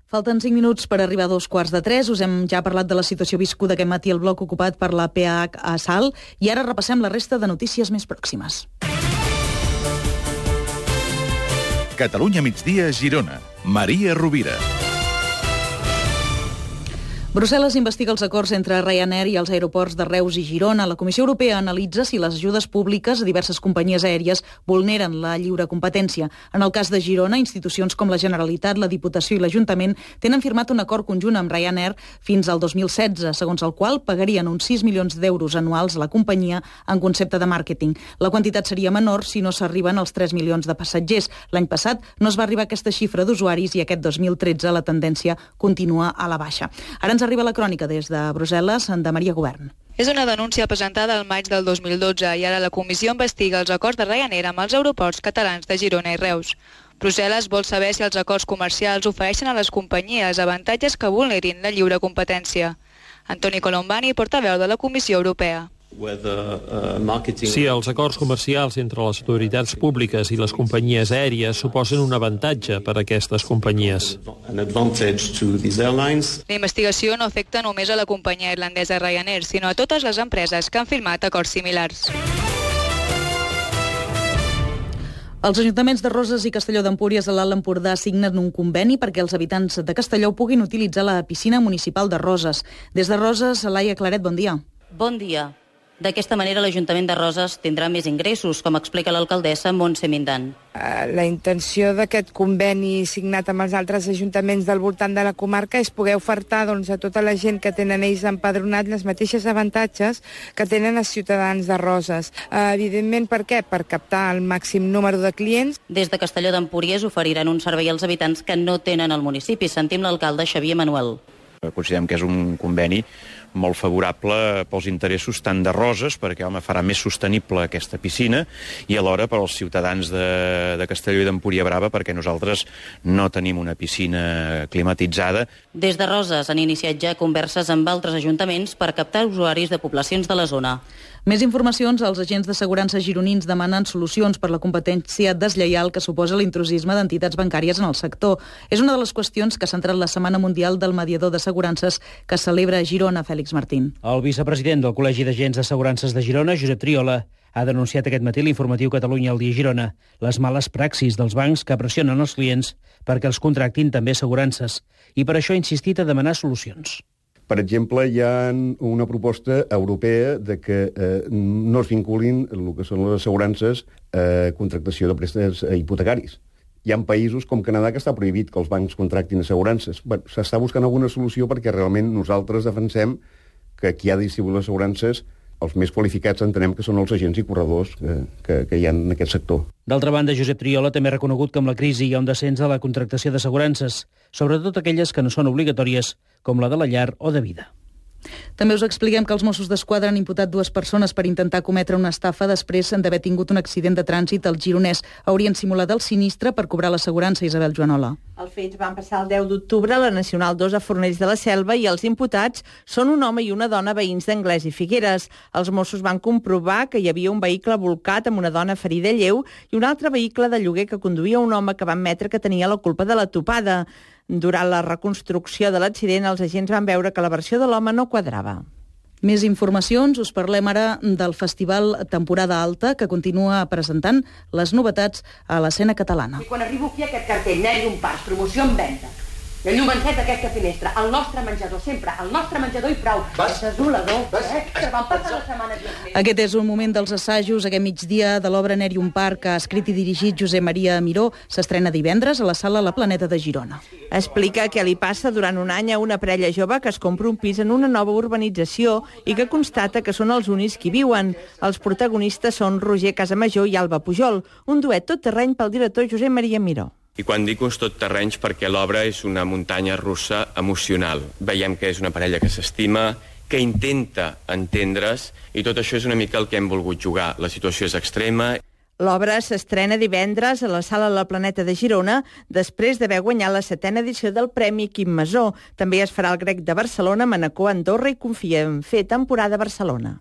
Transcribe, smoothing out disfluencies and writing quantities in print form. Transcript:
Falten 5 minuts per arribar a 2:15. Us hem ja parlat de la situació viscuda aquest matí al bloc ocupat per la PH a Salt i ara repassem la resta de notícies més pròximes. Catalunya migdia, Girona. Maria Rovira. Brussel·les investiga els acords entre Ryanair i els aeroports de Reus i Girona. La Comissió Europea analitza si les ajudes públiques a diverses companyies aèries vulneren la lliure competència. En el cas de Girona, institucions com la Generalitat, la Diputació i l'Ajuntament tenen firmat un acord conjunt amb Ryanair fins al 2016, segons el qual pagarien uns 6 milions d'euros anuals a la companyia en concepte de màrqueting. La quantitat seria menor si no s'arriben als 3 milions de passatgers. L'any passat no es va arribar a aquesta xifra d'usuaris i aquest 2013 la tendència continua a la baixa. Ara ens arriba la crònica des de Brussel·les, de Maria Govern. És una denúncia presentada al maig del 2012 i ara la comissió investiga els acords de Ryanair amb els aeroports catalans de Girona i Reus. Brussel·les vol saber si els acords comercials ofereixen a les companyies avantatges que vulnerin la lliure competència. Antoni Colombani, portaveu de la Comissió Europea. Si els acords comercials entre les autoritats públiques i les companyies aèries suposen un avantatge per a aquestes companyies. La investigació no afecta només a la companyia irlandesa Ryanair, sinó a totes les empreses que han firmat acords similars. Els ajuntaments de Roses i Castelló d'Empúries a l'Alt Empordà signen un conveni perquè els habitants de Castelló puguin utilitzar la piscina municipal de Roses. Des de Roses, Laia Claret, bon dia. Bon dia. D'aquesta manera l'Ajuntament de Roses tindrà més ingressos, com explica l'alcaldessa Montse Mindan. La intenció d'aquest conveni signat amb els altres ajuntaments del voltant de la comarca és poder ofertar a tota la gent que tenen ells empadronat les mateixes avantatges que tenen els ciutadans de Roses. Evidentment, per què? Per captar el màxim número de clients. Des de Castelló d'Empúries oferiran un servei als habitants que no tenen al municipi. Sentim l'alcalde Xavier Manuel. Considerem que és un conveni molt favorable pels interessos tant de Roses, perquè farà més sostenible aquesta piscina, i alhora per als ciutadans de Castelló i d'Empúria Brava, perquè nosaltres no tenim una piscina climatitzada. Des de Roses han iniciat ja converses amb altres ajuntaments per captar usuaris de poblacions de la zona. Més informacions, els agents d'assegurança gironins demanen solucions per la competència deslleial que suposa l'intrusisme d'entitats bancàries en el sector. És una de les qüestions que ha centrat la Setmana Mundial del Mediador d'Assegurances que celebra a Girona, Fèlix Martín. El vicepresident del Col·legi d'Agents d'Assegurances de Girona, Josep Triola, ha denunciat aquest matí l'informatiu Catalunya al dia Girona les males praxis dels bancs que pressionen els clients perquè els contractin també assegurances i per això ha insistit a demanar solucions. Per exemple, hi ha una proposta europea de que no es vinculin el que són les assegurances a contractació de préstecs hipotecaris. Hi ha països com Canadà que està prohibit que els bancs contractin assegurances. S'està buscant alguna solució perquè realment nosaltres defensem que qui ha de distribuir les assegurances, els més qualificats entenem que són els agents i corredors que hi ha en aquest sector. D'altra banda, Josep Triola també ha reconegut que amb la crisi hi ha un descens de la contractació d'assegurances, sobretot aquelles que no són obligatòries, com la de la llar o de vida. També us expliquem que els Mossos d'Esquadra han imputat 2 persones per intentar cometre una estafa després d'haver tingut un accident de trànsit al Gironès. Haurien simulat el sinistre per cobrar l'assegurança, Isabel Joanola. Els fets van passar el 10 d'octubre a la Nacional 2 a Fornells de la Selva i els imputats són un home i una dona veïns d'Anglès i Figueres. Els Mossos van comprovar que hi havia un vehicle volcat amb una dona ferida lleu i un altre vehicle de lloguer que conduïa un home que van admetre que tenia la culpa de la topada. Durant la reconstrucció de l'accident, els agents van veure que la versió de l'home no quadrava. Més informacions, us parlem ara del Festival Temporada Alta, que continua presentant les novetats a l'escena catalana. I quan arribo aquí aquest cartell, Nèrium Parts, promoció en venda. I el llum encès d'aquesta finestra, el nostre menjador, sempre, el nostre menjador i prou. És desolador, que van passar la setmana. Aquest és un moment dels assajos, aquest migdia de l'obra Nèrium Park, que ha escrit i dirigit Josep Maria Miró, s'estrena divendres a la sala La Planeta de Girona. Explica què li passa durant un any a una parella jove que es compra un pis en una nova urbanització i que constata que són els únics que hi viuen. Els protagonistes són Roger Casamajor i Alba Pujol, un duet tot terreny pel director Josep Maria Miró. I quan dic uns tot terrenys perquè l'obra és una muntanya russa emocional. Veiem que és una parella que s'estima, que intenta entendre's, i tot això és una mica el que hem volgut jugar. La situació és extrema. L'obra s'estrena divendres a la sala La Planeta de Girona, després d'haver guanyat la 7a edició del Premi Quim Masó. També es farà el Grec de Barcelona, Manacor, Andorra i confia en fer temporada a Barcelona.